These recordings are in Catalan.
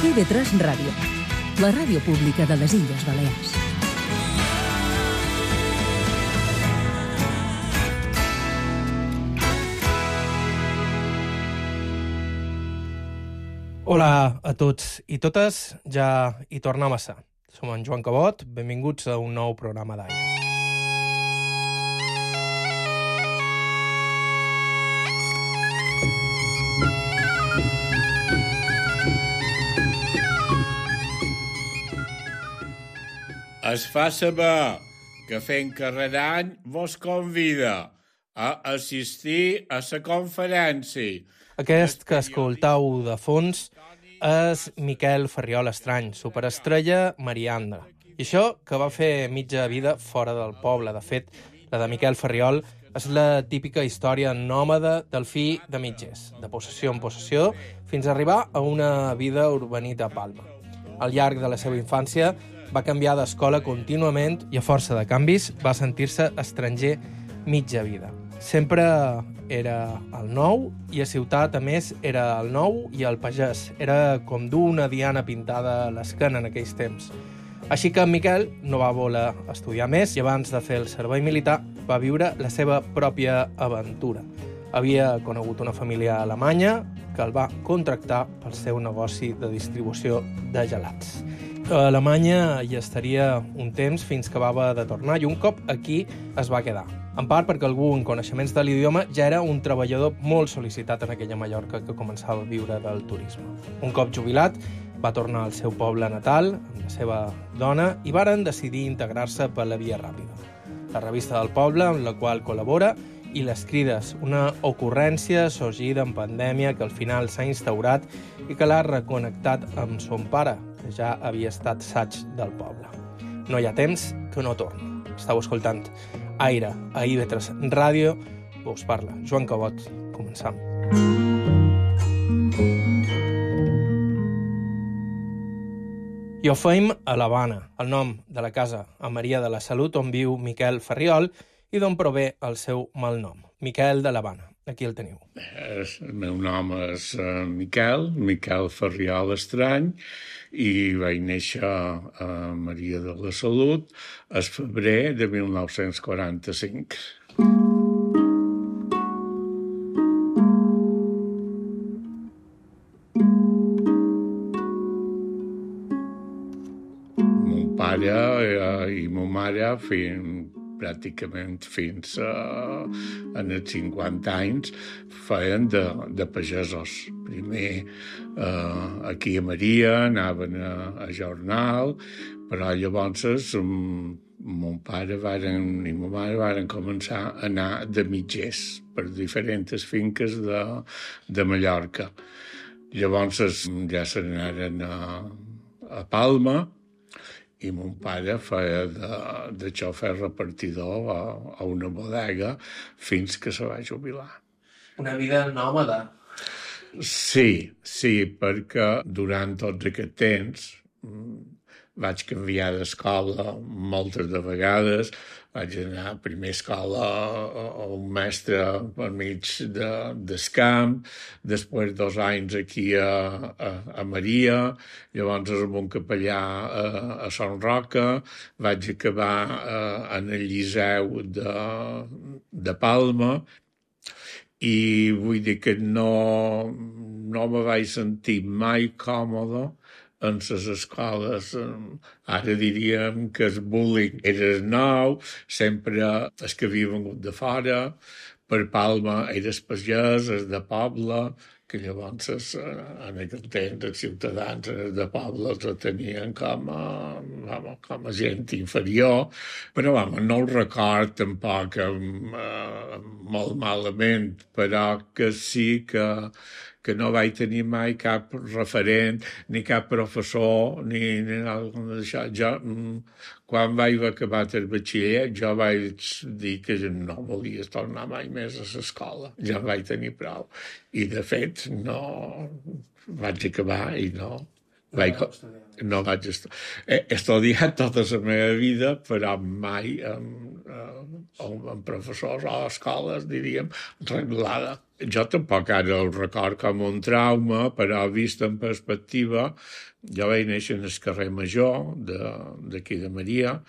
IB3 Ràdio, la ràdio pública de les Illes Balears. Hola a tots i totes, ja hi tornem a ser. Som en Joan Cabot, benvinguts a un nou programa d'Aire. Es fa saber que fent carrer d'any vos convida a assistir a la conferència. Aquest que escoltau de fons és Miquel Ferriol Estrany, superestrella Marianda. I això que va fer mitja vida fora del poble. De fet, la de Miquel Ferriol és la típica història nòmada del fill de mitgers, de possessió en possessió, fins a arribar a una vida urbanita a Palma. Al llarg de la seva infància va canviar d'escola contínuament i a força de canvis va sentir-se estranger mitja vida. Sempre era el nou i a ciutat, a més, era el nou i el pagès. Era com dur una diana pintada a l'esquena en aquells temps. Així que en Miquel no va voler estudiar més i abans de fer el servei militar va viure la seva pròpia aventura. Havia conegut una família alemanya que el va contractar pel seu negoci de distribució de gelats. A Alemanya hi estaria un temps fins que va haver de tornar i un cop aquí es va quedar. En part perquè algú en coneixements de l'idioma ja era un treballador molt sol·licitat en aquella Mallorca que començava a viure del turisme. Un cop jubilat, va tornar al seu poble natal amb la seva dona i varen decidir integrar-se per la via ràpida. La revista del poble, amb la qual col·labora, i les crides, una ocurrència sorgida en pandèmia que al final s'ha instaurat i que l'ha reconnectat amb son pare, que ja havia estat saig del poble. No hi ha temps que no torni. Estau escoltant Aire a IB3 Ràdio, us parla Joan Cabot. Començam. I ho feim a l'Havana, el nom de la casa a Maria de la Salut on viu Miquel Ferriol i d'on prové el seu malnom, Miquel de l'Havana. Aquí el teniu. El meu nom és Miquel Ferriol Estrany, i vaig néixer a Maria de la Salut el febrer de 1945. Mon pare i ma mare pràcticament fins en els 50 anys feien de pagesos. Primer aquí a Maria anaven a jornal, però llavors mon pare i ma mare varen començar a anar de mitgers per diferents finques de Mallorca. Llavors ja se n'anaren a Palma, i mon pare feia de xofer repartidor a una bodega fins que se va jubilar. Una vida nòmada. Sí, perquè durant tots aquest temps vaig canviar d'escola moltes de vegades. Vaig anar a primera escola a un mestre per mig del camp, després 2 anys aquí a Maria, llavors amb un capellà a Son Roca, vaig acabar en el Liceu de Palma, i vull dir que no me vaig sentir mai còmode en les escoles. Ara diríem que el bullying era nou, sempre els que havia vengut de fora, per Palma era el pagès, el de poble, que llavors en aquell temps els ciutadans de poble els tenien com a gent inferior, però no ho record tampoc molt malament, però que sí que no vaig tenir mai cap referent, ni cap professor, ni alguna d'això. Jo, quan vaig acabar el batxiller, jo vaig dir que no volia tornar mai més a l'escola. Ja vaig tenir prou. I, de fet, no vaig acabar i no No vaig estudiar. He estudiat tota la meva vida, però mai amb professors o escoles, diríem, reglada. Jo tampoc ara el record com un trauma, però vist en perspectiva, jo vaig néixer en el carrer Major d'aquí de Maria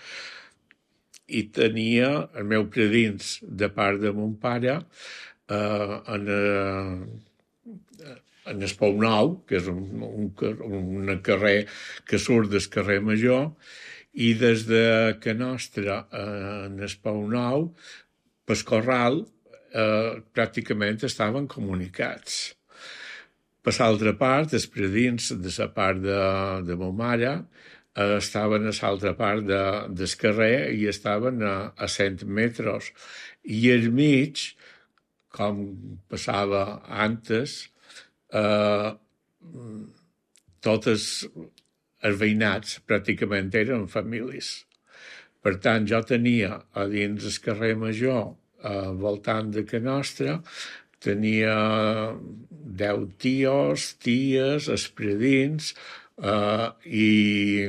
i tenia el meu predins de part de mon pare en el Pou Nou, que és un carrer que surt del carrer Major, i des de que nostra en el Pou Nou, pel Corral, pràcticament estaven comunicats. Per l'altra part, els predins de la part de ma mare estaven a l'altra part del carrer i estaven a 100 metres. I al mig, com passava antes, totes els veïnats pràcticament eren famílies. Per tant, jo tenia a dins el carrer Major, voltant de Can Nostra, tenia 10 tios, ties, espredins, i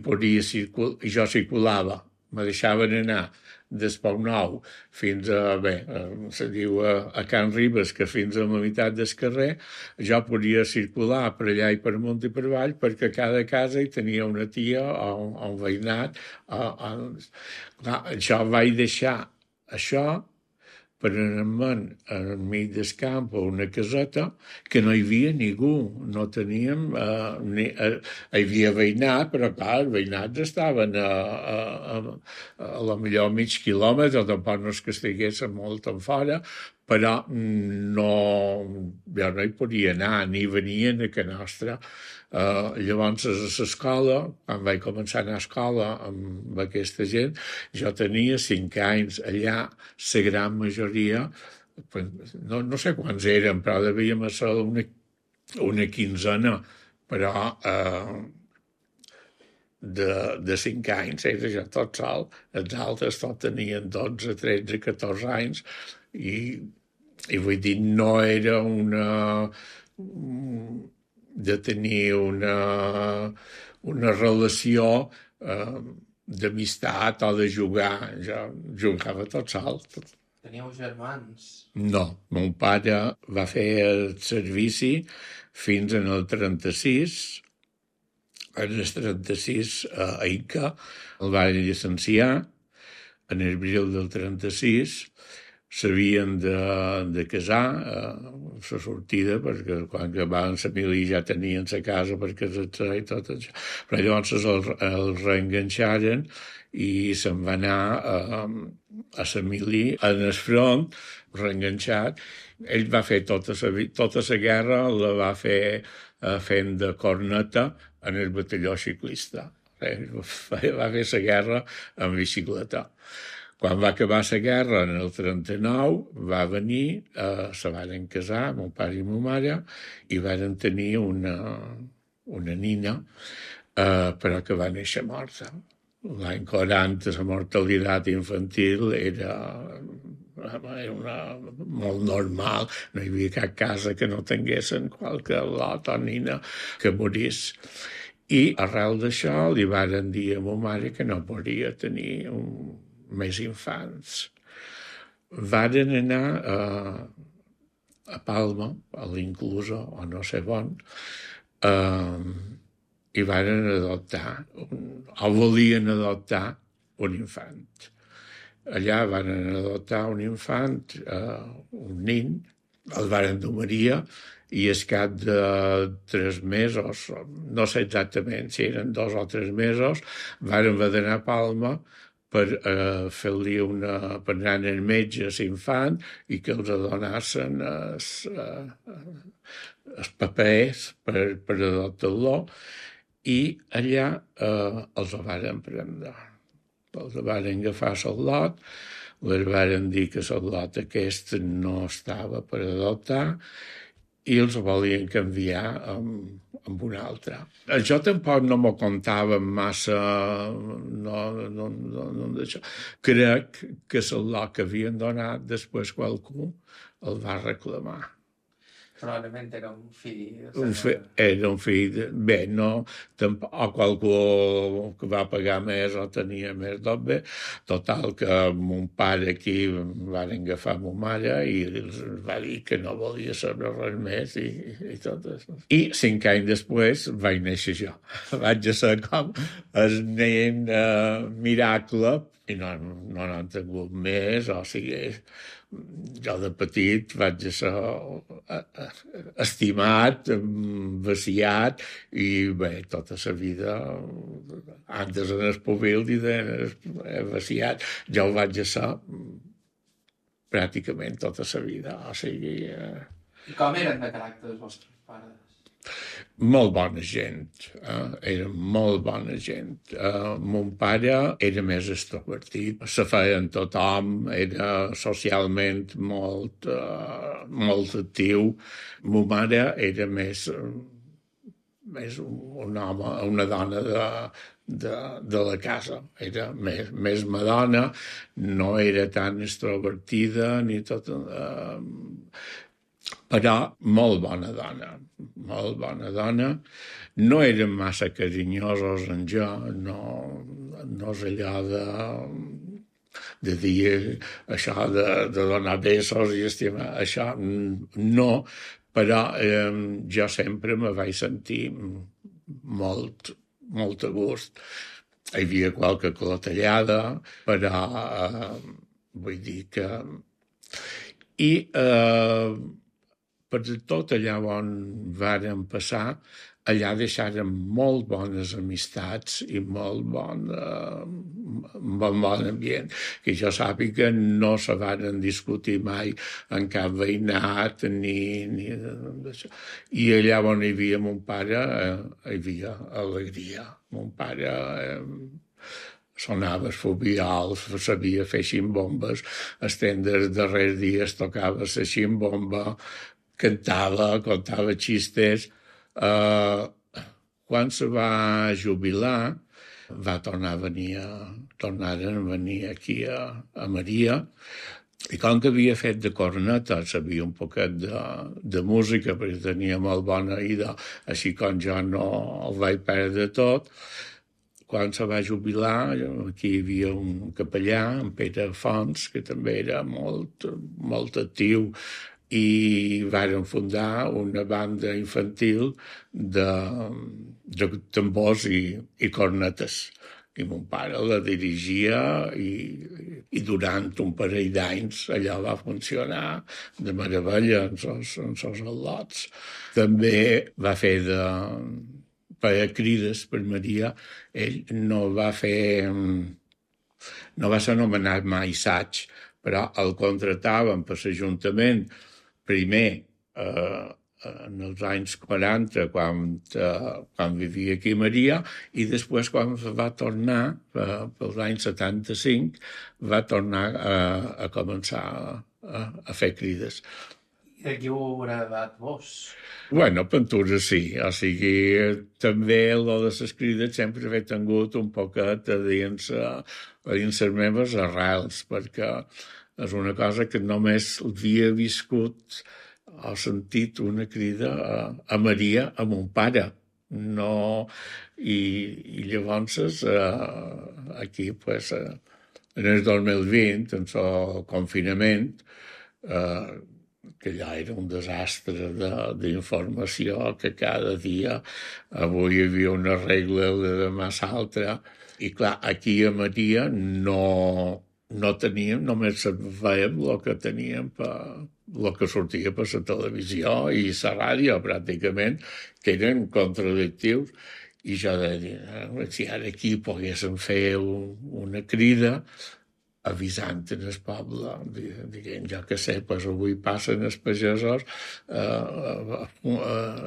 podia circular, i jo circulava, me deixaven anar del Pou Nou fins a, se diu a Can Ribes, que fins a la meitat del carrer, jo podia circular per allà i per amunt i per avall, perquè a cada casa hi tenia una tia o un veïnat. Jo vaig deixar això per anar enmig del camp a una caseta que no hi havia ningú, no teníem... hi havia veïnat, però clar, els veïnats estaven a la millor mig quilòmetre, tampoc no és que estiguessin molt en fora, però jo no hi podia anar, ni venien a Can Nostra. Llavors, a l'escola, quan vaig començar a anar a escola amb aquesta gent, jo tenia 5 anys. Allà, la gran majoria, no sé quants eren, però devíem ser una quinzena, però de 5 anys era jo tot sol. Els altres tots tenien 12, 13, 14 anys, i vull dir, no era de tenir una relació d'amistat o de jugar. Jo jugava tot sol. Teníeu germans? No, mon pare va fer el servici fins en el 36. En el 36 a Inca el van llicenciar. En abril del 36 s'havien de casar a la sortida, perquè quan acabaven la mili ja tenien la casa per casar-se i tot això. Però llavors el reenganxaren i se'n va anar a la mili en el front, reenganxat. Ell va fer tota la guerra, la va fer fent de corneta en el batalló ciclista. Va fer la guerra en bicicleta. Quan va acabar la guerra, en el 39, va venir, se varen casar, mon pare i ma mare, i varen tenir una nina, però que va néixer morta. L'any 40 la mortalitat infantil era molt normal, no hi havia cap casa que no tinguessin qualque lot o nina que morís. I arrel d'això li varen dir a ma mare que no podia tenir més infants. Varen anar a Palma, a l'Inclusa, o no sé on, i varen adoptar, o volien adoptar un infant. Allà varen adoptar un infant, un nin, el varen dur Maria, i al cap de 3 mesos, no sé exactament si eren 2 o 3 mesos, varen haver d'anar a Palma per fer-li per anar al metge a l'infant i que els donessin els papers per adoptar-lo, i allà els varen prendre. Els varen agafar el lot, els varen dir que el lot aquest no estava per adoptar i els volien canviar amb un altre. Jo tampoc no m'ho contava massa, d'això. Crec que el lot que havien donat després qualcú el va reclamar. Probablement era un fill... Era un fill... Bé, no... O qualcú que va pagar més o tenia més d'obbe. Total, que mon pare aquí van agafar ma mare i els va dir que no volia saber res més i tot això. I 5 anys després vaig néixer jo. Vaig ser com el nen miracle i no n'han tingut més, o sigui... Jo de petit vaig ser estimat, vaciat i bé, tota la vida antes en el púbil i vaciat. Jo ho vaig ser pràcticament tota la vida. O sigui... I com eren de caràcter els vostres pares? Molt bona gent, era molt bona gent. Mon pare era més extrovertit, se feia amb tothom, era socialment molt actiu. Ma mare era més un home, una dona de la casa, era més madona, no era tan extrovertida ni tot... però molt bona dona. No eren massa carinyosos amb jo, no és allò de dir això de donar besos i estimar, això no, però jo sempre me vaig sentir molt a gust. Hi havia qualque clotellada, però vull dir que... I per tot allà on vàrem passar, allà deixàrem molt bones amistats i molt bon ambient. Que jo sàpiga no se varen discutir mai en cap veïnat ni d'això. I allà on hi havia mon pare hi havia alegria. Mon pare sonava el fobial, sabia fer ximbombes, estendre els darrers dies tocava la ximbomba, cantava, contava xistes. Quan se va jubilar, va tornar a venir aquí a Maria, i com que havia fet de corneta, sabia un poquet de música, perquè tenia molt bona oïda, així com jo no el vaig perdre tot. Quan se va jubilar, aquí hi havia un capellà, en Pere Fons, que també era molt actiu, i varen fundar una banda infantil de tambors i cornetes. I mon pare la dirigia i durant un parell d'anys allò va funcionar de meravella en els al·lots. També va fer per crides per Maria. Ell no va ser anomenat mai saig, però el contrataven per l'Ajuntament primer en els anys 40, quan vivia aquí a Maria, i després, quan va tornar, pels anys 75, va tornar a començar a fer crides. I de qui ho haurà dat vos? Bueno, pintura sí, o sigui, també lo de les crides sempre he tingut un poquet a dins les meves arrels, perquè és una cosa que només havia viscut o sentit una crida a Maria, a mon pare. No, i llavors aquí, pues, en el 2020, en el confinament, que allà era un desastre d'informació, que cada dia avui hi havia una regla de demà l'altra, i clar, aquí a Maria no teníem, només veiem el que teníem, el que sortia per la televisió i la ràdio, pràcticament, que eren contradictius. I jo deia, si ara aquí poguéssim fer una crida avisant en el poble, dient, jo que sé, pues avui passen els pagesos a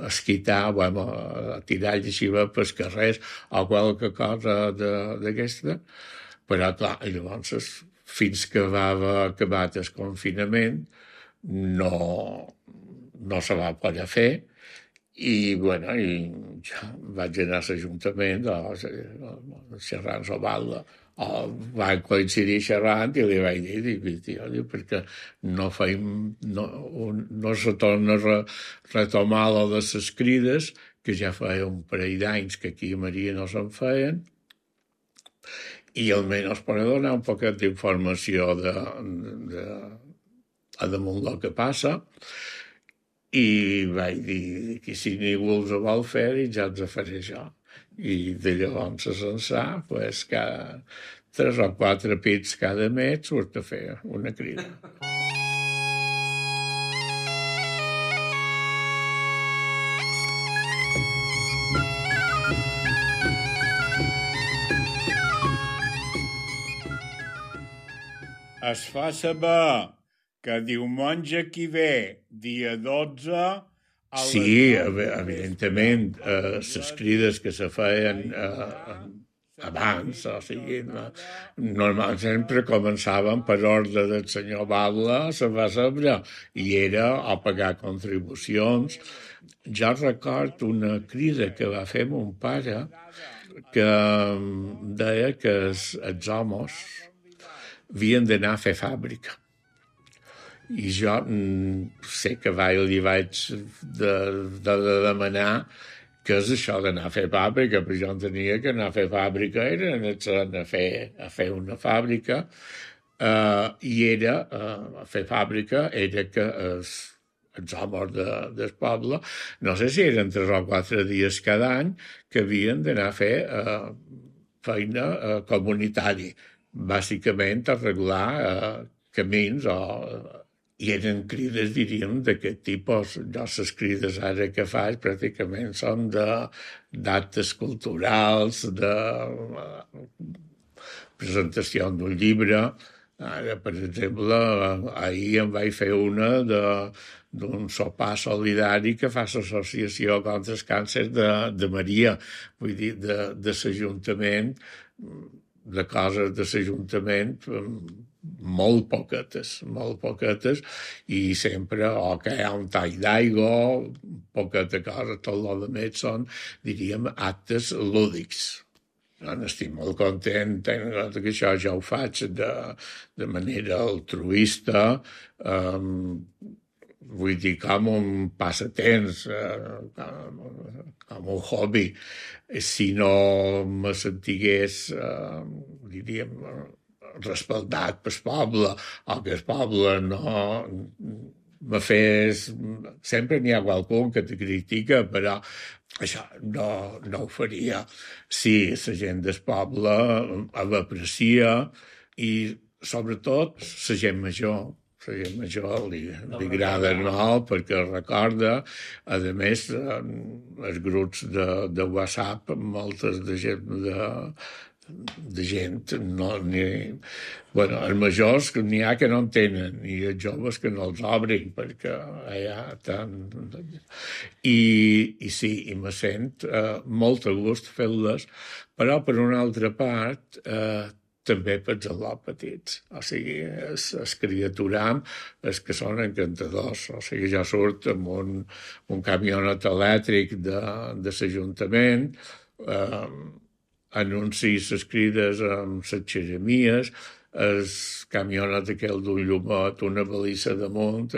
esquitar, a tirar llexiva pels carrers o qualque cosa d'aquesta. Però, clar, llavors, fins que va haver acabat el confinament, no se va poder fer. I, bueno, jo vaig anar a l'Ajuntament a xerrar amb la balda van coincidir xerrant i li vaig dir, perquè no se torna a retomar lo de les crides, que ja feia un parell d'anys que aquí a Maria no se'n feien, i almenys per donar un poquet d'informació a damunt del que passa, i vaig dir que si ningú els vol fer, ja els faré jo. I de llavors ençà, cada 3 o 4 pits cada mes surt a fer una crida. Es fa saber que diumenge que ve, dia 12... Sí, evidentment, les crides que se feien abans, o sigui, normalment sempre començaven per ordre del senyor Batlle, se va saber, i era a pagar contribucions. Jo recordo una crida que va fer mon pare que deia que els homes havien d'anar a fer fàbrica. I jo sé que li vaig de demanar què és això d'anar a fer fàbrica, però jo entenia que anar a fer fàbrica era anar a fer una fàbrica, i era, a fer fàbrica era que els homes del poble, no sé si eren 3 o 4 dies cada any, que havien d'anar a fer feina comunitària, bàsicament arreglar camins i eren crides, diríem, d'aquest tipus. Jo les crides ara que faig pràcticament són d'actes culturals, de presentació d'un llibre. Ara, per exemple, ahir em vaig fer una d'un sopar solidari que fa l'associació contra el càncer de Maria, vull dir, de l'Ajuntament, de coses de l'Ajuntament, molt poquetes, i sempre que hi ha un tall d'aigua, poqueta cosa, tot el que més són, diríem, actes lúdics. Estic molt content, tenint en compte que això ja ho faig de manera altruista, vull dir, com un passatemps, com un hobby. Si no me sentigués, diríem, respectat pel poble, o que el poble no me fes... Sempre n'hi ha qualcú que te critica, però això no ho faria si la gent del poble l'aprecia, i sobretot la gent major. La gent major li agrada molt perquè recorda. A més, els grups de WhatsApp, moltes de gent, els majors n'hi ha que no en tenen, i els joves que no els obrin, perquè allà tant... I sí, i me sent molt a gust fer-les, però per una altra part també pels al·lots petits, o sigui, els criaturam, els que són encantadors, o sigui, jo surt amb un camionet elèctric de l'Ajuntament, anuncis les crides amb les xeremies, el camionet aquell d'un llumet, una balissa damunt,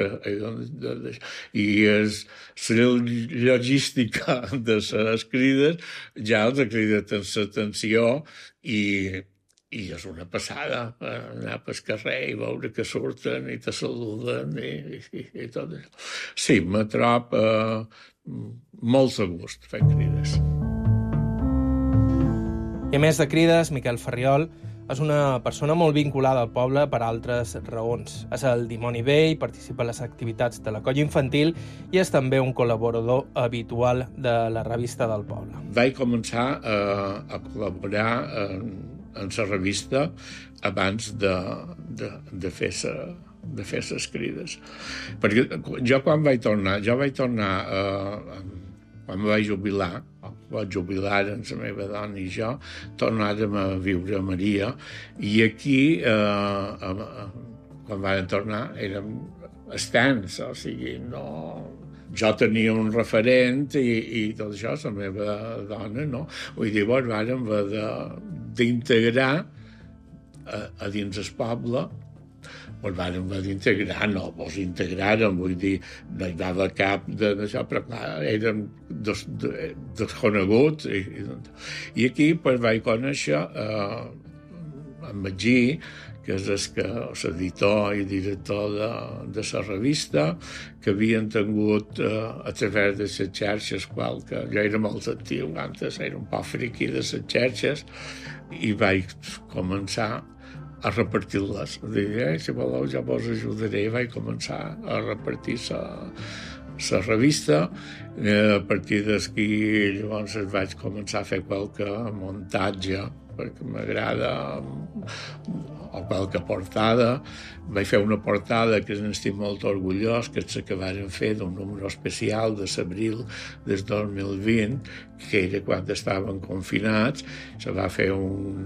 i la logística de les crides ja els ha cridat l'atenció, i és una passada anar pel carrer i veure que surten i te saluden i tot això. Sí, me trob molt a gust fent crides. I a més de crides, Miquel Ferriol és una persona molt vinculada al poble per altres raons. És el dimoni vell, participa en les activitats de la colla infantil i és també un col·laborador habitual de la revista del poble. Vaig començar a col·laborar en la revista abans de fer les crides. Perquè jo quan vaig tornar, quan em vaig jubilar amb la meva dona i jo, tornàrem a viure a Maria, i aquí, quan vam tornar, érem estants, o sigui, no... Jo tenia un referent i tot això, la meva dona, no? Vull dir, vàrem haver d'integrar a dins el poble, ens van integrar, no, ens integraren, vull dir, no hi va haver cap d'això, però clar, érem desconeguts. I aquí pues, vaig conèixer en Magí, que és l'editor i director de la revista, que havien tingut a través de les xarxes, que jo era molt actiu, antes era un poc friqui de les xarxes, i vaig començar a repartir-les. Dir, si voleu, jo vos ajudaré. I vaig començar a repartir la revista. A partir d'aquí, llavors, vaig començar a fer qualque muntatge, perquè m'agrada, o qualque portada. Vaig fer una portada que n'estic molt orgullós, que és la que varen fer d'un número especial de l'abril del 2020, que era quan estaven confinats. Se va fer un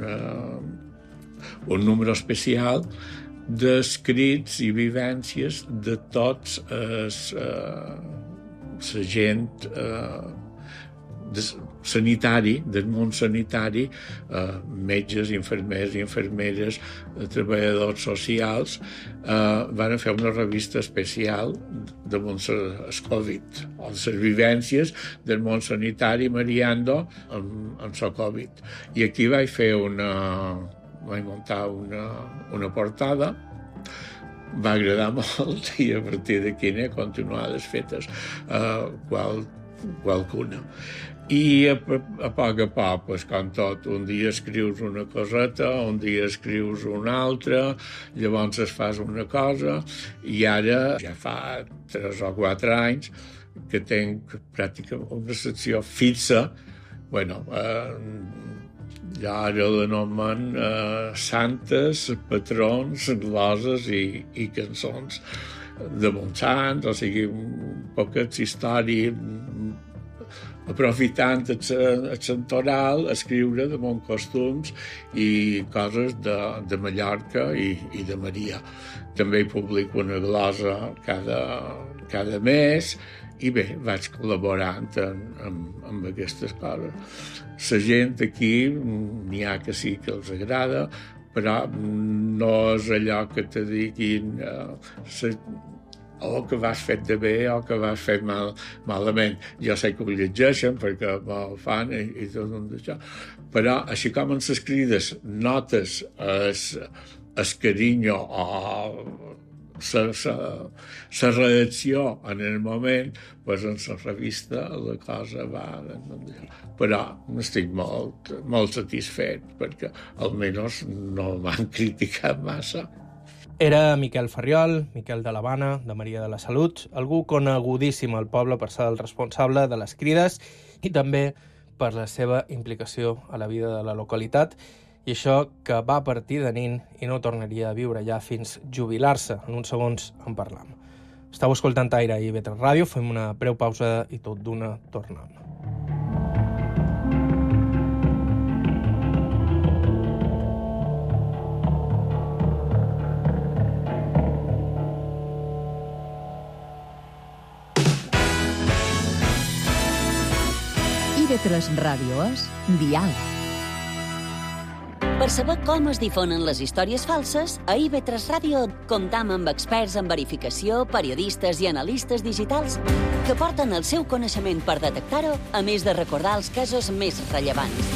número especial d'escrits i vivències de tots la gent sanitari, del món sanitari, metges, infermers i infermeres, treballadors socials, van fer una revista especial damunt el Covid, o les vivències del món sanitari mariando amb el Covid. I aquí vaig muntar una portada, va agradar molt i a partir d'aquí n'he continuat fetes qualcuna. I a poc, pues, com tot, un dia escrius una coseta, un dia escrius una altra, llavors es fas una cosa, i ara ja fa 3 o 4 anys que tinc pràcticament una secció fixa. Bueno, ja ara l'anomen santes, patrons, gloses i cançons de Montsant, o sigui, poquets històries, aprofitant el santoral, escriure de bons costums i coses de Mallorca i de Maria. També hi publico una glosa cada mes i bé, vaig col·laborant amb aquestes coses. La gent aquí, n'hi ha que sí que els agrada, però no és allò que te diguin o que vas fet de bé o que vas fet malament. Jo sé que ho llegeixen perquè me'l fan i tot això. Però així com en les crides notes el carinyo o la reacció en el moment, doncs en la revista la cosa va... Però estic molt satisfet perquè almenys no m'han criticat massa. Era Miquel Ferriol, Miquel de l'Havana, de Maria de la Salut, algú conegudíssim al poble per ser el responsable de les crides i també per la seva implicació a la vida de la localitat, i això que va partir de nin i no tornaria a viure ja fins jubilar-se. En uns segons en parlam. Estau escoltant Aire i IB3 Ràdio, fem una breu pausa i tot d'una tornem. IB3 Ràdio és Diàleg. Per saber com es difonen les històries falses, a IB3 Ràdio comptam amb experts en verificació, periodistes i analistes digitals que porten el seu coneixement per detectar-ho, a més de recordar els casos més rellevants.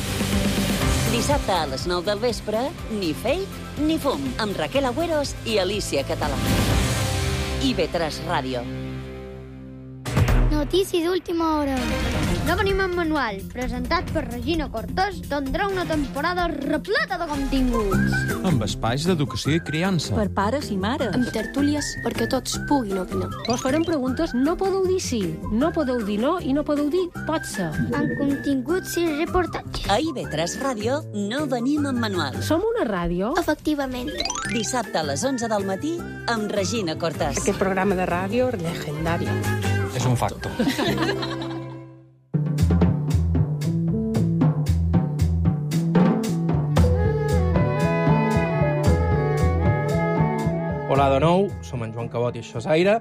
Dissabte a les 9 del vespre, ni fake ni fum, amb Raquel Agüeros i Alicia Català. IB3 Ràdio. Notícies d'última hora. No venim en manual, presentat per Regina Cortés, tindrà una temporada repleta de continguts. Amb espais d'educació i criança. Per pares i mares. Amb tertúlies perquè tots puguin opinar. Vos farem preguntes, no podeu dir sí, no podeu dir no i no podeu dir pot ser. Amb continguts i reportatges. A IB3 Ràdio no venim en manual. Som una ràdio? Efectivament. Dissabte a les 11 del matí amb Regina Cortés. Aquest programa de ràdio legendari. És un facto. Hola de nou, som en Joan Cabot i això és Aire,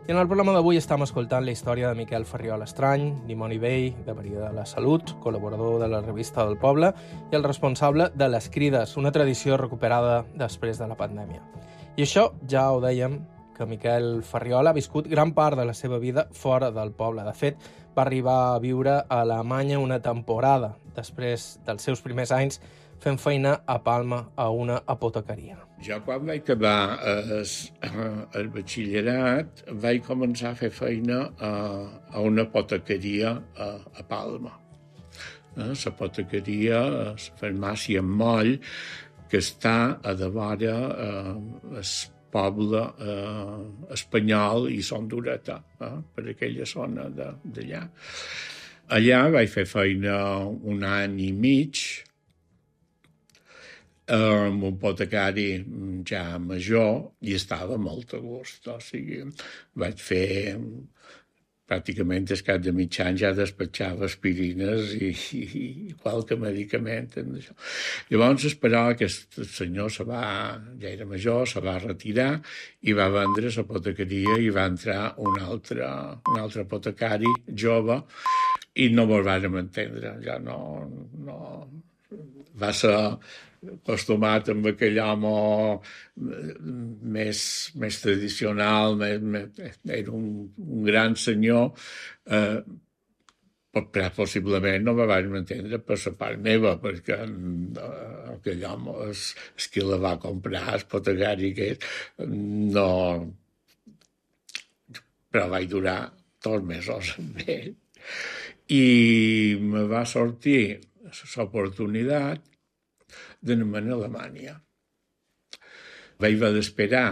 I en el programa d'avui estem escoltant la història de Miquel Ferriol Estrany, dimoni vell de Maria de la Salut, col·laborador de la revista del Poble i el responsable de Les Crides, una tradició recuperada després de la pandèmia. I això ja ho dèiem, que Miquel Ferriol ha viscut gran part de la seva vida fora del poble. De fet, va arribar a viure a Alemanya una temporada, després dels seus primers anys fent feina a Palma a una apotecaria. Jo quan vaig acabar el batxillerat vaig començar a fer feina a una apotecaria a Palma. L'apotecaria, la farmàcia Moll, que està a devora el poble espanyol i Son d'Ureta, per aquella zona d'allà. Allà vaig fer feina un any i mig, amb un apotecari ja major, i estava molt a gust. O sigui, vaig fer pràcticament el cap de mig any ja despatxava aspirines i qualque medicament. Llavors esperava que el senyor ja era major, se va retirar i va vendre l'apotecaria i va entrar un altre apotecari jove i no ens vàrem entendre. Ja no va ser acostumat amb aquell home més tradicional, era un gran senyor, possiblement no me vaig entendre per la part meva, perquè aquell home, el que la va comprar, el apotecari aquest, no... Però vaig durar 2 mesos amb ell. I me va sortir l'oportunitat d'anar a Alemanya. Vaig haver d'esperar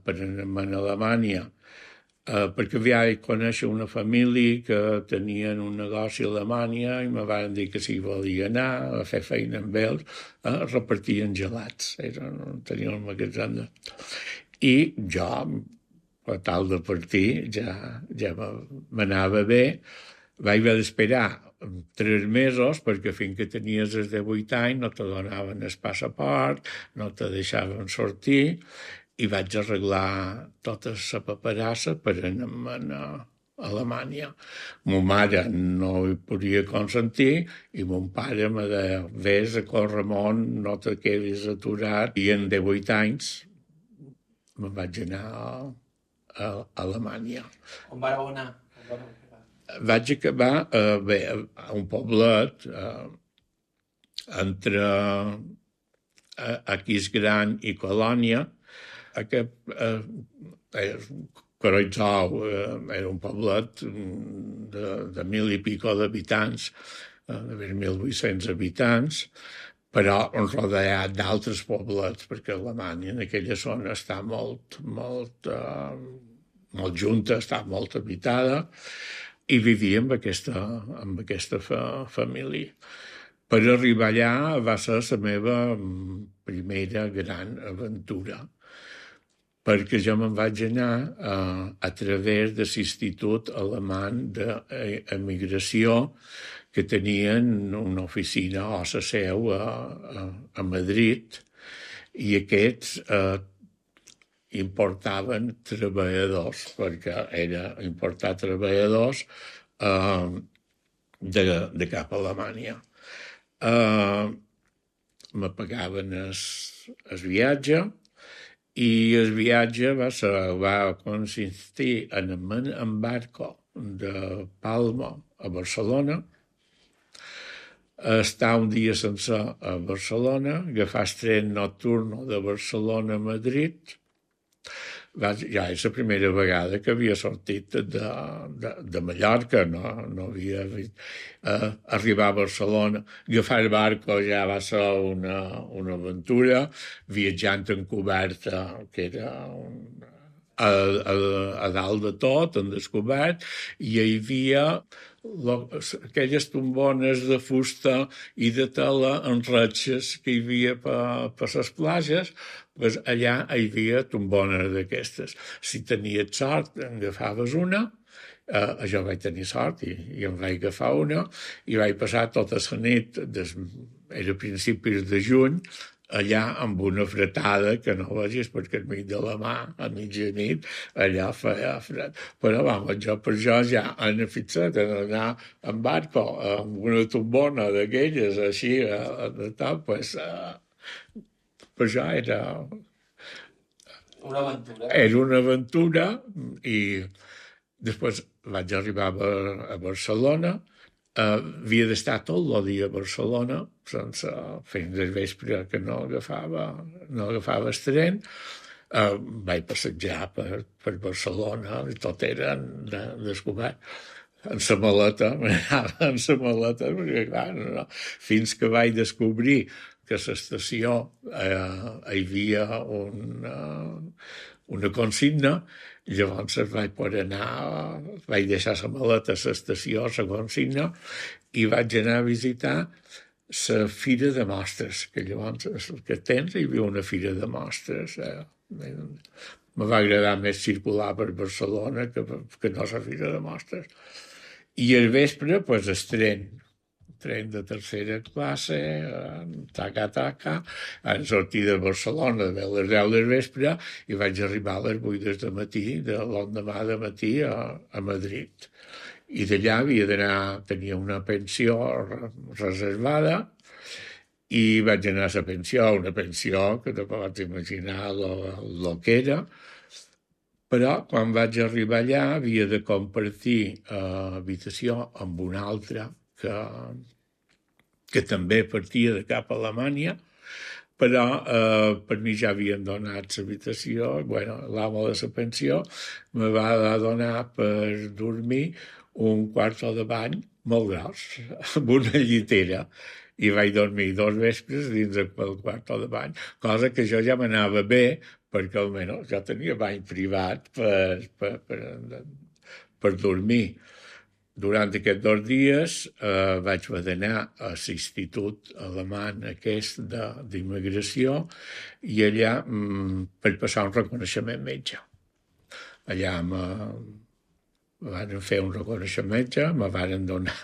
per anar a Alemanya perquè vaig conèixer una família que tenien un negoci a Alemanya i me van dir que si volia anar a fer feina amb ells, repartien gelats. Tenien un magatzem. I jo, per tal de partir, ja m'anava bé. Vaig haver d'esperar 3 mesos perquè fins que tenies els 18 anys no te donaven el passaport, no te deixaven sortir i vaig arreglar tota la paperassa per anar a Alemanya. Ma mare no hi podia consentir i mon pare me deia vés a Corramont, no te quedis aturat. I en 18 anys me'n vaig anar a Alemanya. On vareu anar? Vaig acabar a un poblet entre Aquisgrán i Colònia. Kreuzau era un poblet de 1.000 i pico d'habitants, de 1.800 habitants, però rodeat d'altres poblets, perquè Alemanya en aquella zona està molt junta, està molt habitada, i vivia amb aquesta família. Per arribar allà va ser la meva primera gran aventura, perquè jo me'n vaig anar a través de l'Institut Alemany d'Emigració, que tenien una oficina o la seu a Madrid, i aquests importaven treballadors, perquè era importar treballadors de cap a Alemanya. Me pagaven el viatge i el viatge va consistir en anar en barco de Palma a Barcelona, estar un dia sencer a Barcelona, agafar el tren nocturno de Barcelona a Madrid. Ja és la primera vegada que havia sortit de Mallorca, no havia vist. Arribar a Barcelona, agafar el barco ja va ser una aventura, viatjant en coberta, que era a dalt de tot, en descobert, i hi havia aquelles tombones de fusta i de tela en ratxes que hi havia per les platges, doncs allà hi havia tombones d'aquestes. Si tenies sort, en agafaves una, jo vaig tenir sort i em vaig agafar una, i vaig passar tota la nit, era a principis de juny, allà amb una fretada que no vegis perquè al mig de la mà, a mitjanit, allà feia fred. Però, vamos, jo per això ja han fixat en anar en barco amb una tombona d'aquelles, així, de tal, pues, per això era... Una aventura. Era una aventura i després vaig arribar a Barcelona. Havia d'estar tot el dia a Barcelona, sense fins al vespre que no agafava el tren. Vaig passejar per Barcelona i tot era descobert. En la maleta, perquè clar, no. Fins que vaig descobrir que a l'estació hi havia una consigna. Llavors vaig poder anar, vaig deixar la maleta a l'estació, la consigna, i vaig anar a visitar la Fira de Mostres, que llavors, que temps hi havia una Fira de Mostres. Me va agradar més circular per Barcelona que no la Fira de Mostres. I al vespre, pues, tren de tercera classe, taca, en sortir de Barcelona a les 10 del vespre i vaig arribar a les 8 del matí, de l'endemà de matí a Madrid. I d'allà havia d'anar, tenia una pensió reservada i vaig anar a la pensió, una pensió que te pots imaginar el que era. Però quan vaig arribar allà havia de compartir habitació amb un altre que també partia de cap a Alemanya, però per mi ja havien donat l'habitació. Bueno, l'amo de la pensió me va donar per dormir un quarto de bany molt gros, amb una llitera, i vaig dormir 2 vespres dins del quarto de bany, cosa que jo ja m'anava bé, perquè almenys jo tenia bany privat per dormir. Durant aquests 2 dies vaig haver d'anar a l'institut alemany aquest d'immigració i allà per passar un reconeixement metge. Allà me van fer un reconeixement metge, me van donar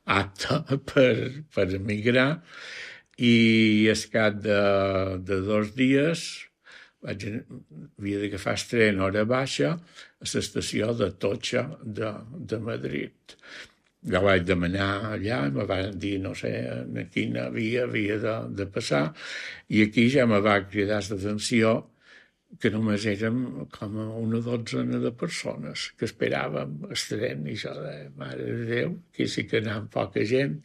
acte per emigrar i al cap de 2 dies havia d'agafar el tren hora baixa a l'estació de Atocha de Madrid. Jo vaig demanar allà, me van dir, no sé, en quina via havia de passar, i aquí ja me va cridar l'atenció que només érem com una 12 de persones que esperàvem el tren, i jo deia, mare de Déu, aquí sí que anava poca gent,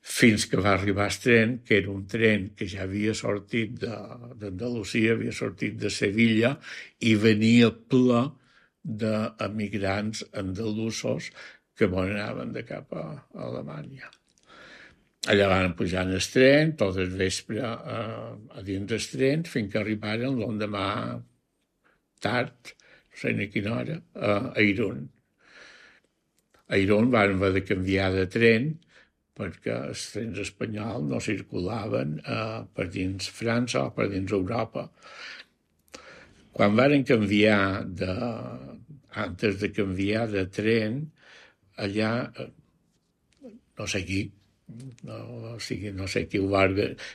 fins que va arribar el tren, que era un tren que ja havia sortit d'Andalusia, havia sortit de Sevilla, i venia ple d'emigrants andalusos que anaven de cap a Alemanya. Allà van pujar en el tren, tot el vespre a dins del tren, fins que arribaren l'endemà tard, no sé ni quina hora, a Irún. A Irún van haver de canviar de tren, perquè els trens espanyols no circulaven per dins França o per dins Europa. Quan varen canviar antes de canviar de tren, allà, no sé qui, no sé qui ho va,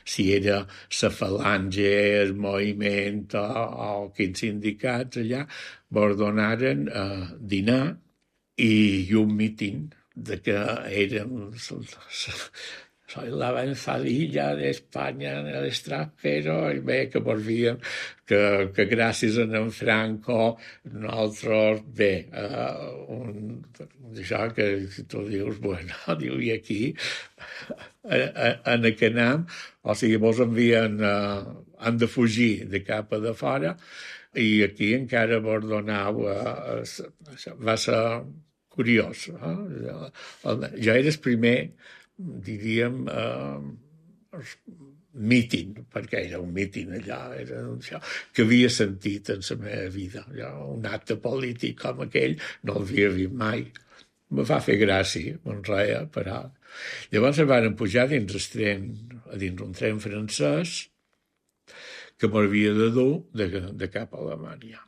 si era la Falange, el moviment o quins sindicats allà, ordenaren dinar i un míting de que érem soy la avanzadilla de España en el extranjero, i bé, que volvíem, que gràcies a en Franco nosaltres, bé, això que tu dius, bueno, diu, i aquí, en aquest nam, o sigui, vos envien, han de fugir de cap a de fora, i aquí encara vos donau, va ser curiós. Jo era el primer, diríem, míting, perquè era un míting allà, era això, que havia sentit en la meva vida. Un acte polític com aquell no l'havia vist mai. Me va fer gràcia, me'n reia, però... Llavors em van pujar dins un tren francès que m'havia de dur de cap a Alemanya.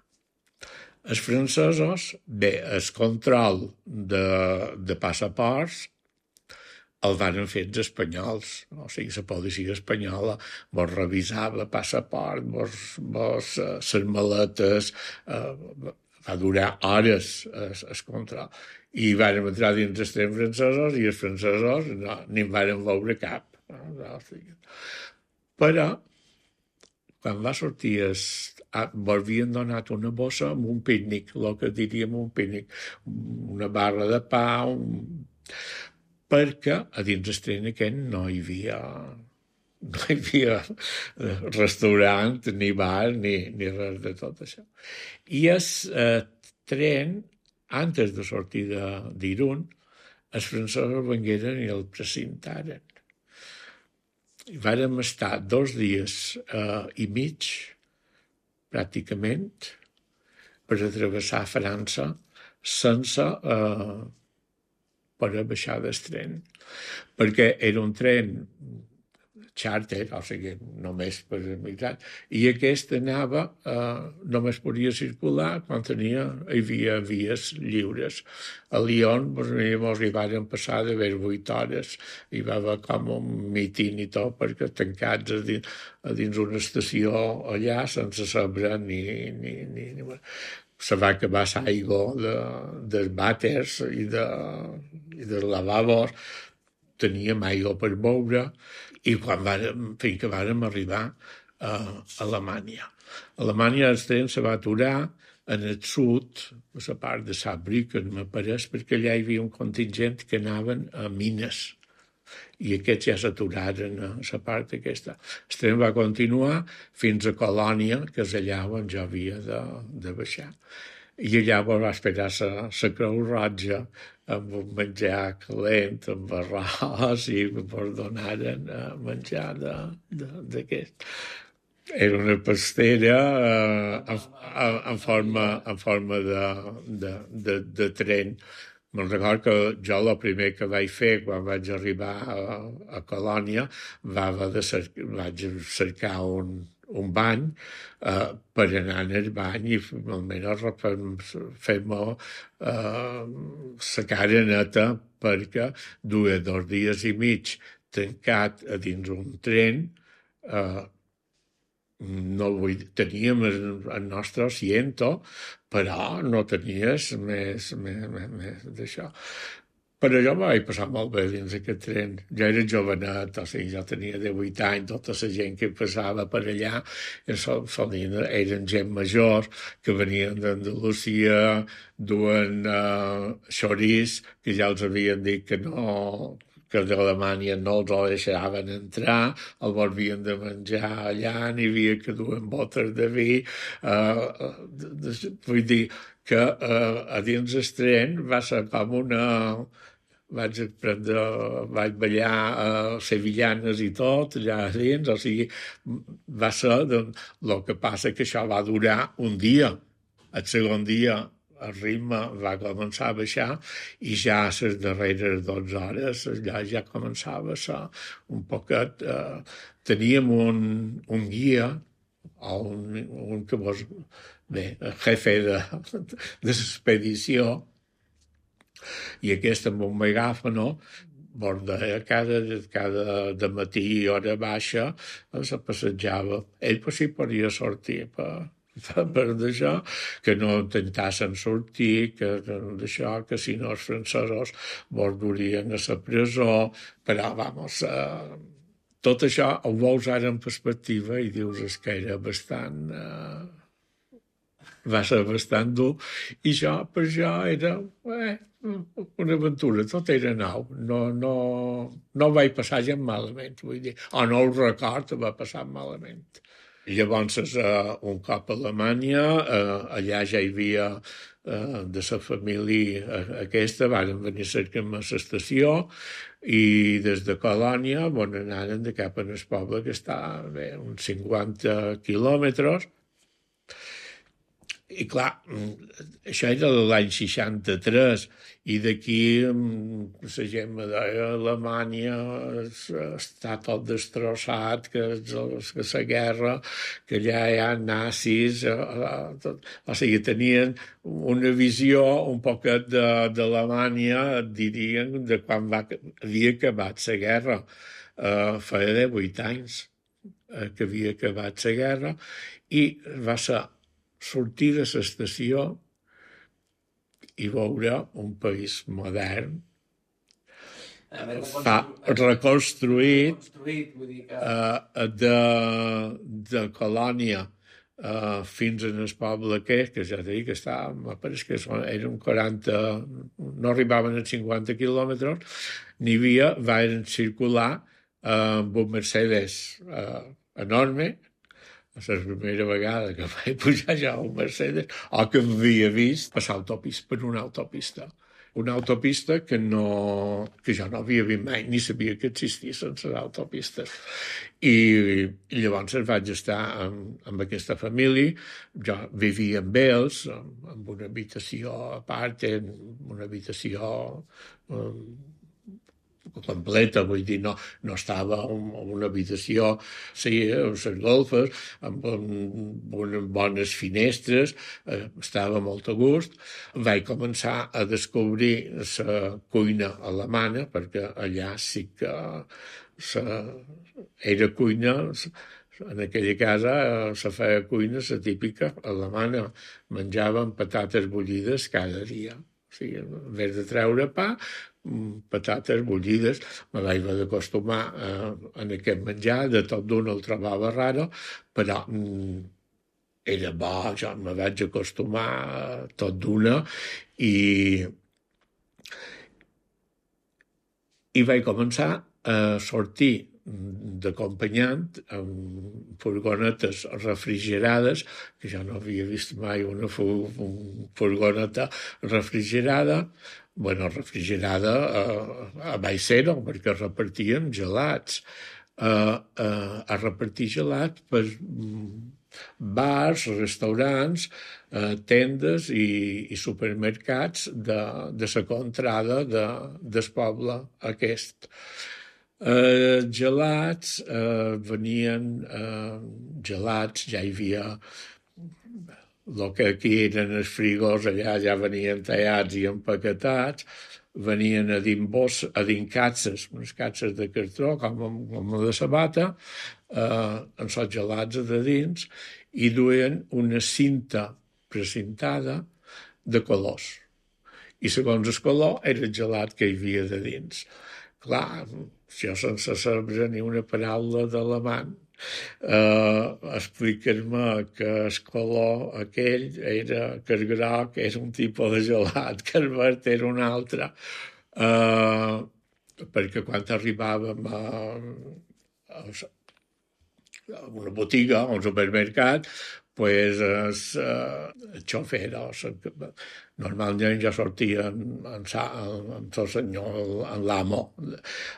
Els francesos, bé, el control de passaports el van fer els espanyols, o sigui, la policia espanyola vos revisava passaport, vos les maletes, va durar hores el control. I vàrem entrar dins els trens francesos i els francesos ni en vàrem veure cap. Però, quan va sortir, havien donat una bossa amb un pícnic, el que diríem un pícnic, una barra de pa, perquè a dins el tren aquest no hi havia restaurant, ni bar, ni res de tot això. I el tren, antes de sortir d'Irun, els francesos vengueren i el precintaren. I vàrem estar 2 dies i mig, pràcticament, per travessar França sense poder baixar del tren, perquè era un tren xàrter, o sigui, només per emigrants, i aquest anava, només podia circular quan hi havia vies lliures. A Lyon ens hi varen passar d'haver 8 hores, hi va haver com un mitin i tot, perquè tancats a dins una estació allà, sense saber ni se va acabar l'aigua dels vàters i dels lavabos, teníem aigua per beure, i fins que vàrem arribar a Alemanya. A Alemanya el tren se va aturar en el sud, a la part de Saarbrücken, m'apareix, perquè allà hi havia un contingent que anaven a mines, i aquests ja s'aturaren a la part aquesta. El tren va continuar fins a Colònia, que és allà on jo havia de baixar. I allà va esperar la Creu Roja amb un menjar calent, amb arròs, i ens donaren menjar d'aquest. Era una pastera en forma de tren. Me'n recordo que jo el primer que vaig fer quan vaig arribar a Colònia vaig cercar un bany per anar en el bany i almenys fer-me la cara neta, perquè duia 2 dies i mig tancat a dins un tren, teníem el nostre asiento, però no tenies més d'això. Però jo me vaig passar molt bé dins aquest tren. Jo era jovenet, o sigui, jo tenia 18 anys, tota la gent que passava per allà eren gent major, que venien d'Andalusia, duen xorís, que ja els havien dit que no, que d'Alemanya no els deixaven entrar, el volvien de menjar allà, n'hi havia que duen botes de vi. Vull dir que a dins el tren va ser com una... Vaig ballar sevillanes i tot, allà dins, o sigui, va ser... El que passa que això va durar un dia. El segon dia el ritme va començar a baixar i ja a les darreres 12 hores allà ja començava a ser un poquet... Teníem un guia, o un que vos... Bé, el jefe de l'expedició, i aquest amb un megàfono cada matí i hora baixa se passejava. Ell sí podia sortir per d'això, que no intentassen sortir, que si no els francesos vos durien a la presó, però, vamos, tot això ho veus ara en perspectiva i dius que era bastant... va ser bastant dur, i per jo era una aventura, tot era nou, no vaig passar gens malament, vull dir, o no ho record, va passar malament. Llavors, un cop a Alemanya, allà ja hi havia de la família aquesta, varen venir a cercar-me a l'estació, i des de Colònia anaren de cap al poble, que està uns 50 quilòmetres, I clar, això era l'any 63, i d'aquí la gent me deia Alemanya està tot destrossat, que la guerra, que allà hi ha nazis, o sigui, tenien una visió un poquet d'Alemanya, dirien, de quan havia acabat la guerra. Feia 8 anys que havia acabat la guerra, i va ser sortir de l'estació i veure un país modern, reconstruït de Colònia fins en el poble que ja t'he dit que estava, pareix que eren 40, no arribaven a 50 quilòmetres, n'hi havia, van circular amb un Mercedes enorme, la primera vegada que vaig pujar ja a un Mercedes, o que havia vist passar per una autopista. Una autopista que jo no havia vist mai, ni sabia que existissin les autopistes. I llavors vaig estar amb aquesta família, jo vivia amb ells, amb una habitació a part, una habitació completa, vull dir, no estava en una habitació, sí, amb les golfes, amb unes bones finestres, estava molt a gust. Vaig començar a descobrir la cuina alemana, perquè allà sí que era cuina, en aquella casa se feia cuina, la típica alemana, menjaven patates bullides cada dia. O sigui, en vez de treure pa, patates bullides. Me vaig haver d'acostumar en aquest menjar, de tot d'una el trobava raro, però era bo, jo me vaig acostumar tot d'una, i vaig començar a sortir d'acompanyant amb furgonetes refrigerades, que jo no havia vist mai una furgoneta refrigerada, refrigerada a baix zero, perquè repartien gelats. A repartir gelats per bars, restaurants, tendes i supermercats de la contrada del poble aquest. Gelats, venien gelats, ja hi havia el que aquí eren els frigors, allà ja venien tallats i empaquetats, venien a dins catses, unes catses de cartró, com la de sabata, amb els gelats de dins, i duien una cinta precintada de colors. I segons el color era el gelat que hi havia de dins. Clar, jo sense saber ni una paraula d'alemany, explicar-me que el color aquell era, que el groc era un tipus de gelat, que el verd era un altre, perquè quan arribàvem a una botiga, a un supermercat, pues el xofer, normalment ja sortia amb el senyor, amb l'amo.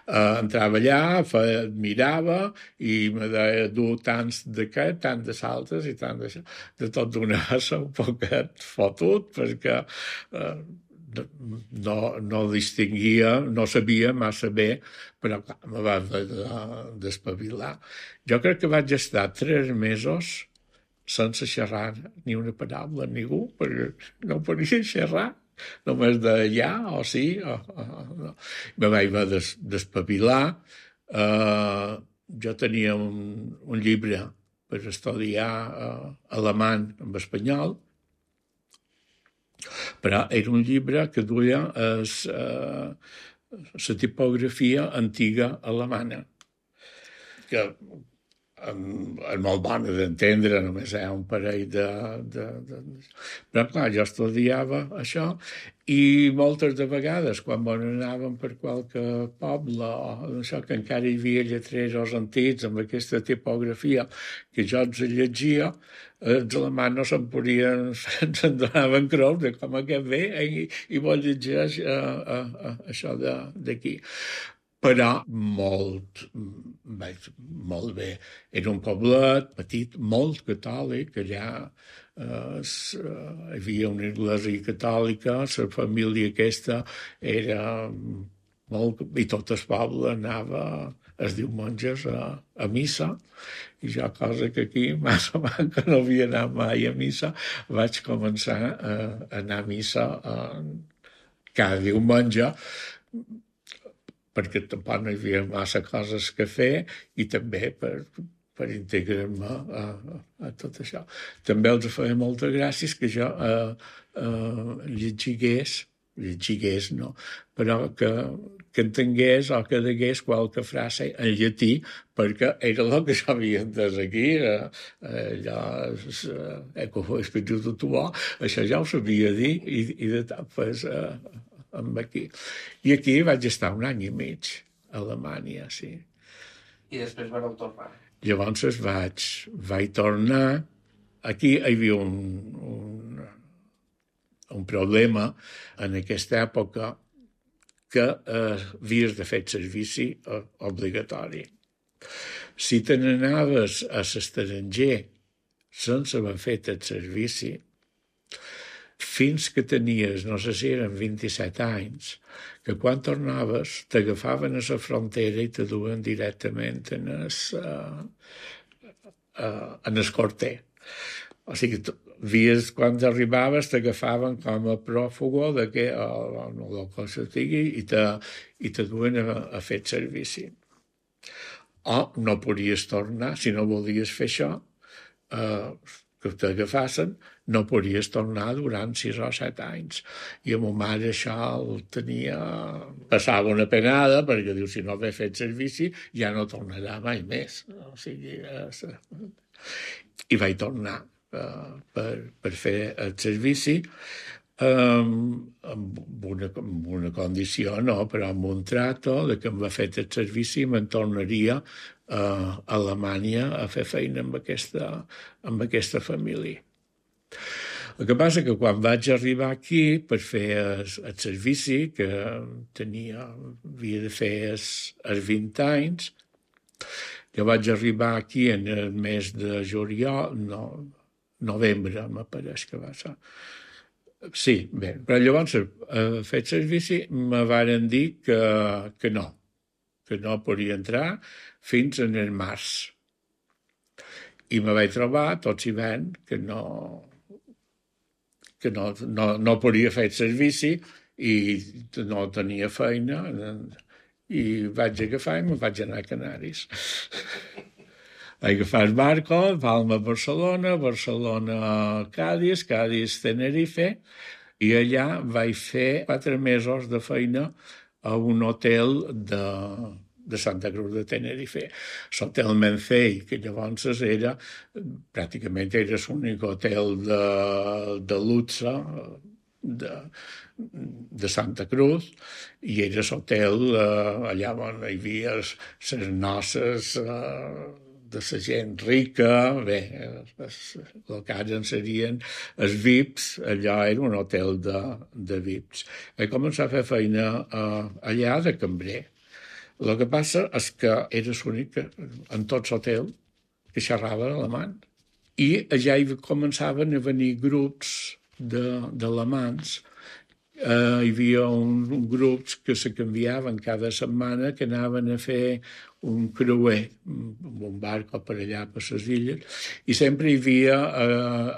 Entrava allà, mirava i me deia dur tants d'aquest, tant de saltes i tant d'això. De tot d'una un poquet fotut, perquè no distingia, no sabia massa bé, però clar, me va d'espavilar. Jo crec que vaig estar 3 mesos sense xerrar ni una paraula a ningú, perquè no podia xerrar, només de ja o sí. No. Me vaig haver d'espavilar. Jo tenia un llibre per estudiar alemany en espanyol, però era un llibre que duia la tipografia antiga alemana, que és molt bona d'entendre, només hi ha un parell Però clar, jo estudiava això, i moltes de vegades, quan anàvem per qualque poble, o això que encara hi havia lletreros antics amb aquesta tipografia que jo els llegia, els alemanys no se'n podien, se'n donaven creu de com aquest ve i vol llegir això d'aquí. però molt bé. Era un poblet petit, molt catòlic, allà hi havia una església catòlica, la família aquesta era molt... i tot el poble anava els diumenges a missa, i jo, cosa que aquí, massa que no havia anat mai a missa, vaig començar a anar a missa cada diumenge, perquè tampoc no hi havia massa coses que fer i també per integrar-me a tot això. També els feia moltes gràcies que jo llegigués, no, però que entengués o que degués qualque frase en llatí, perquè era el que jo havia entès aquí, allò, ecco spiritu tuo, això ja ho sabia dir, i de tant, pues, amb aquí. I aquí vaig estar 1 any i mig, a Alemanya, sí. I després vareu tornar? Llavors vaig tornar. Aquí hi havia un problema en aquesta època que havies de fer servici obligatori. Si te n'anaves a l'estranger sense haver fet el servici, fins que tenies, no sé si eren 27 anys, que quan tornaves t'agafaven a la frontera i te duen directament en el corter. O sigui, quan arribaves t'agafaven com a pròfugo o el que sigui i te duen a fer servici. O no podies tornar, si no volies fer això, que t'agafassin, no podies tornar durant 6 o 7 anys. I a ma mare això el tenia... Passava una penada, perquè diu, si no haver fet servici, ja no tornarà mai més. O sigui... I vaig tornar per fer el servici amb una condició, no, però amb un trato de que em va fet el servici i me'n tornaria a Alemanya a fer feina amb aquesta família. El que passa que quan vaig arribar aquí per fer el servici, que havia de fer els 20 anys, jo vaig arribar aquí en el mes de juliol, novembre, m'apareix que va ser. Sí, bé, però llavors, fet servici, me varen dir que no podia entrar fins en el març. I me vaig trobar, tots hivern, que no podia fer servici i no tenia feina, i vaig agafar i me vaig anar a Canaris. Vaig agafar el barco, Palma-Barcelona, Barcelona-Cádiz, Cádiz-Tenerife, i allà vaig fer 4 mesos de feina a un hotel de Santa Cruz de Tenerife. L'hotel Mencey, que llavors pràcticament era l'únic hotel de luxe de Santa Cruz, i era l'hotel allà on hi havia les noces de la gent rica, bé, el que ara en serien els VIPs, allò era un hotel de VIPs. Vaig començar a fer feina allà de cambrer. El que passa és que era l'únic en tots hotels que xerrava alemany. I allà hi començaven a venir grups d'alemans. Hi havia grups que se canviaven cada setmana, que anaven a fer un creuer amb un barco per allà, per les illes, i sempre hi havia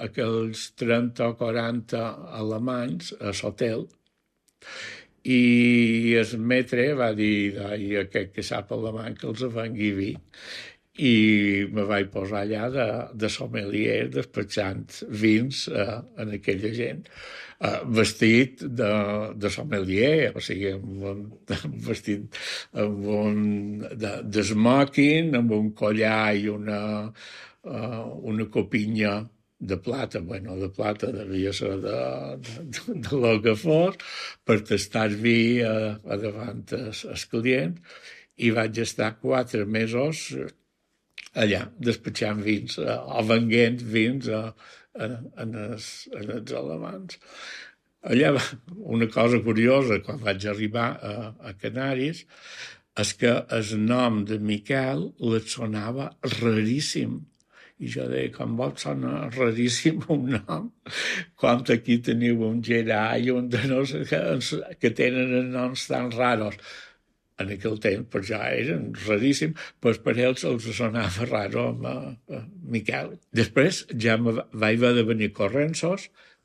aquells 30 o 40 alemanys a l'hotel. I el metre va dir, aquest que sap alemany que els vengui vi, i me vaig posar allà de sommelier, despatxant vins en aquella gent, vestit de sommelier, o sigui, vestit de smoking, amb un collar i una copinya de plata, de plata devia ser de lo que fos, per tastar vi davant el client, i vaig estar 4 mesos allà, despatxant vins, o venguent vins en els alemans. Allà, una cosa curiosa, quan vaig arribar a Canaris, és que el nom de Miquel li sonava raríssim. I jo deia, com vos sona raríssim un nom, quan aquí teniu un Gerai, un de no sé que tenen noms tan raros. En aquell temps, per ja eren raríssim, però per ells els sonava raro amb Miquel. Després ja vaig haver de venir corrents,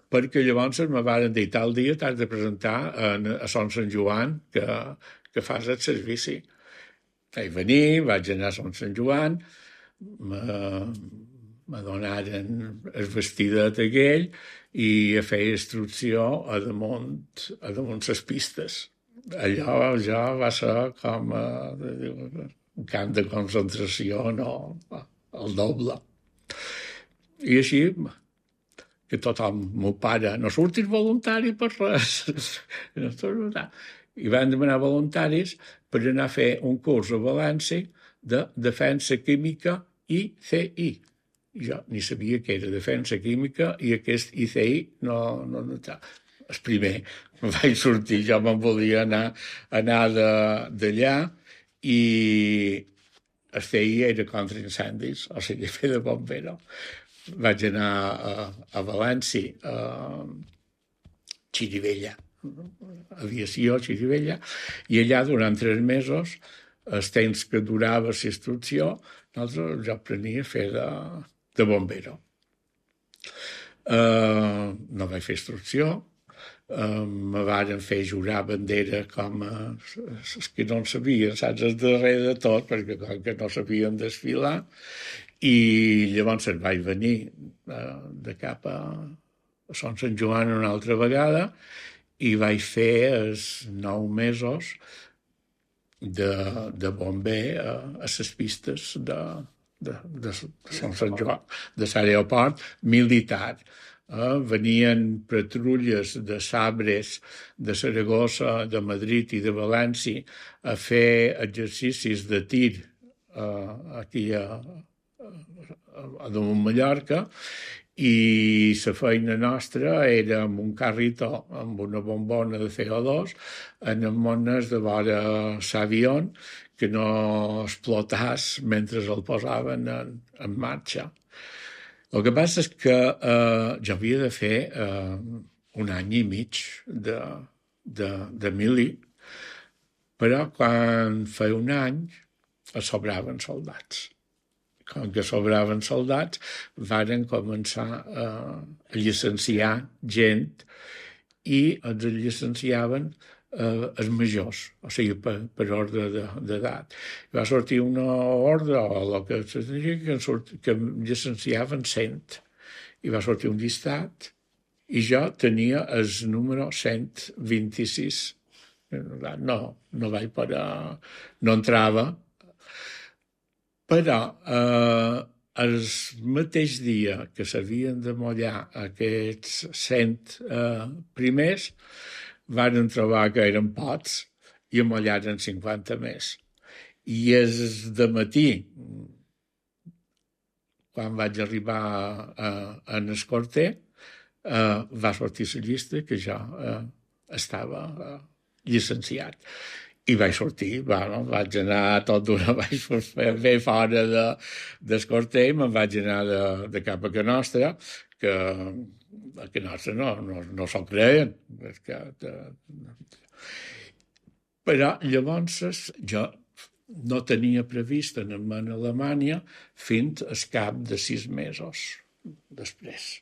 perquè llavors me van dir tal dia t'has de presentar a Son Sant Joan que fas el servici. Vaig venir, vaig anar a Son Sant Joan, me donaren el vestidet aquell i a fer instrucció a damunt les pistes. Allò ja va ser com un camp de concentració, no, el doble. I així, que tothom, meu pare, no surtis voluntari per res. I van demanar voluntaris per anar a fer un curs a València de defensa química ICI. Jo ni sabia que era defensa química i aquest ICI no el primer. Vaig sortir, jo me'n volia anar d'allà i el CI era contra incendis, o sigui, fer de bombero. Vaig anar a València, a Xirivella, aviació, Xirivella, i allà durant 3 mesos, els temps que durava la instrucció, jo aprenia a fer de bombero. No vaig fer instrucció, me varen fer jurar bandera com els que no en sabien, saps, el darrer de tot, perquè com que no sabien desfilar, i llavors vaig venir de cap a Son Sant Joan una altra vegada i vaig fer els 9 mesos de bomber a les pistes de Son Sant Joan, de l'aeroport militar. Venien patrulles de sabres de Saragossa, de Madrid i de València a fer exercicis de tir aquí a damunt Mallorca i la feina nostra era amb un carritó, amb una bombona de CO2, en mones de vora l'avió que no explotàs mentre el posaven en marxa. El que passa és que jo havia de fer 1 any i mig de mili, però quan feia 1 any sobraven soldats. Com que sobraven soldats, varen començar a llicenciar gent i els llicenciaven els majors, o sigui, per ordre d'edat. Va sortir una ordre, o el que llicenciaven 100, i va sortir un llistat, i jo tenia el número 126. No vaig parar, no entrava, però el mateix dia que s'havien de mullar aquests 100 primers, van trobar que eren pots i amollaren 50 més. I és de matí, quan vaig arribar en el quarter, va sortir la llista que jo estava llicenciat. I vaig sortir, vaig anar tot d'una, vaig fer fora del quarter, me'n vaig anar de cap a Can Nostra, que nostre no s'ho creien. Però llavors jo no tenia previst anar a Alemanya fins al cap de 6 mesos després.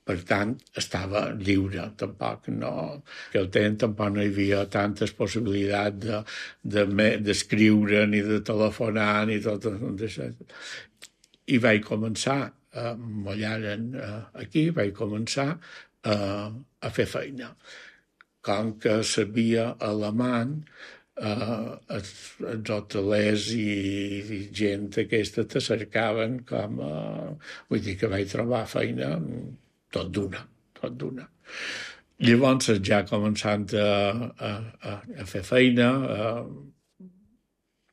Per tant, estava lliure, tampoc no... Que al temps tampoc no hi havia tantes possibilitats d'escriure ni de telefonar ni tot això. I vaig començar m'allaren aquí, vaig començar a fer feina. Com que sabia alemany, els hotelers i gent aquesta te cercaven com a... Vull dir que vaig trobar feina tot d'una. Llavors, ja començant a fer feina,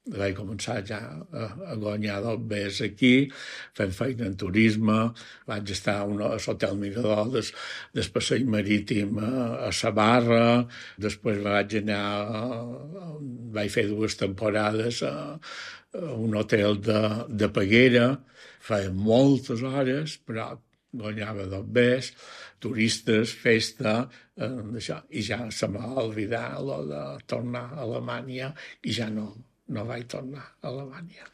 vaig començar ja a guanyar dobbers aquí, fent feina en turisme, vaig estar a l'Hotel Mirador del passeig marítim a Sabarra, després vaig fer 2 temporades a un hotel de Peguera, feia moltes hores, però guanyava dobbers, turistes, festa, això, i ja se m'ha oblidat allò de tornar a Alemanya i ja no vaig tornar a Alemanya.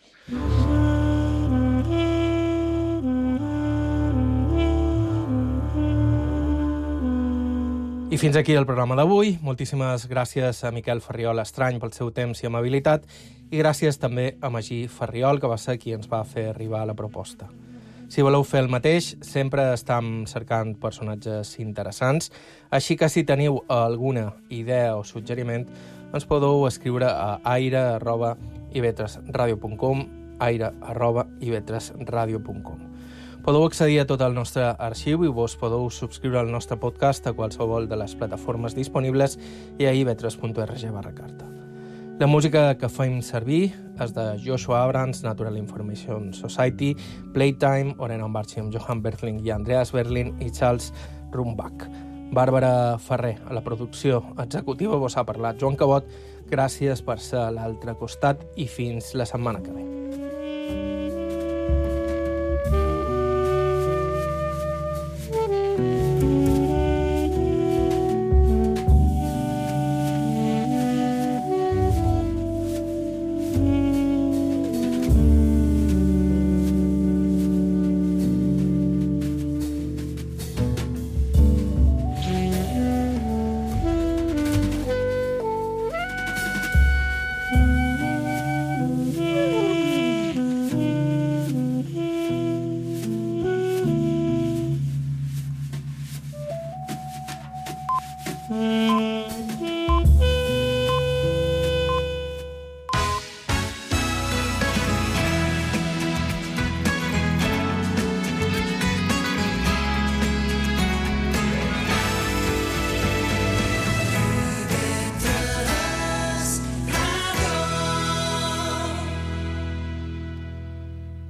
I fins aquí el programa d'avui. Moltíssimes gràcies a Miquel Ferriol Estrany pel seu temps i amabilitat i gràcies també a Magí Ferriol, que va ser qui ens va fer arribar la proposta. Si voleu fer el mateix, sempre estem cercant personatges interessants, així que si teniu alguna idea o suggeriment, ens podeu escriure a aire@ivetresradio.com, aire@ivetresradio.com. Podeu accedir a tot el nostre arxiu i vos podeu subscriure al nostre podcast a qualsevol de les plataformes disponibles i a ivetres.org/carta. La música que fem servir és de Joshua Abrams, Natural Information Society, Playtime, Orena Barchi amb Johan Bertling i Andreas Berlin i Charles Rumbach. Bàrbara Ferrer, a la producció executiva, vos ha parlat Joan Cabot. Gràcies per ser a l'altre costat i fins la setmana que ve.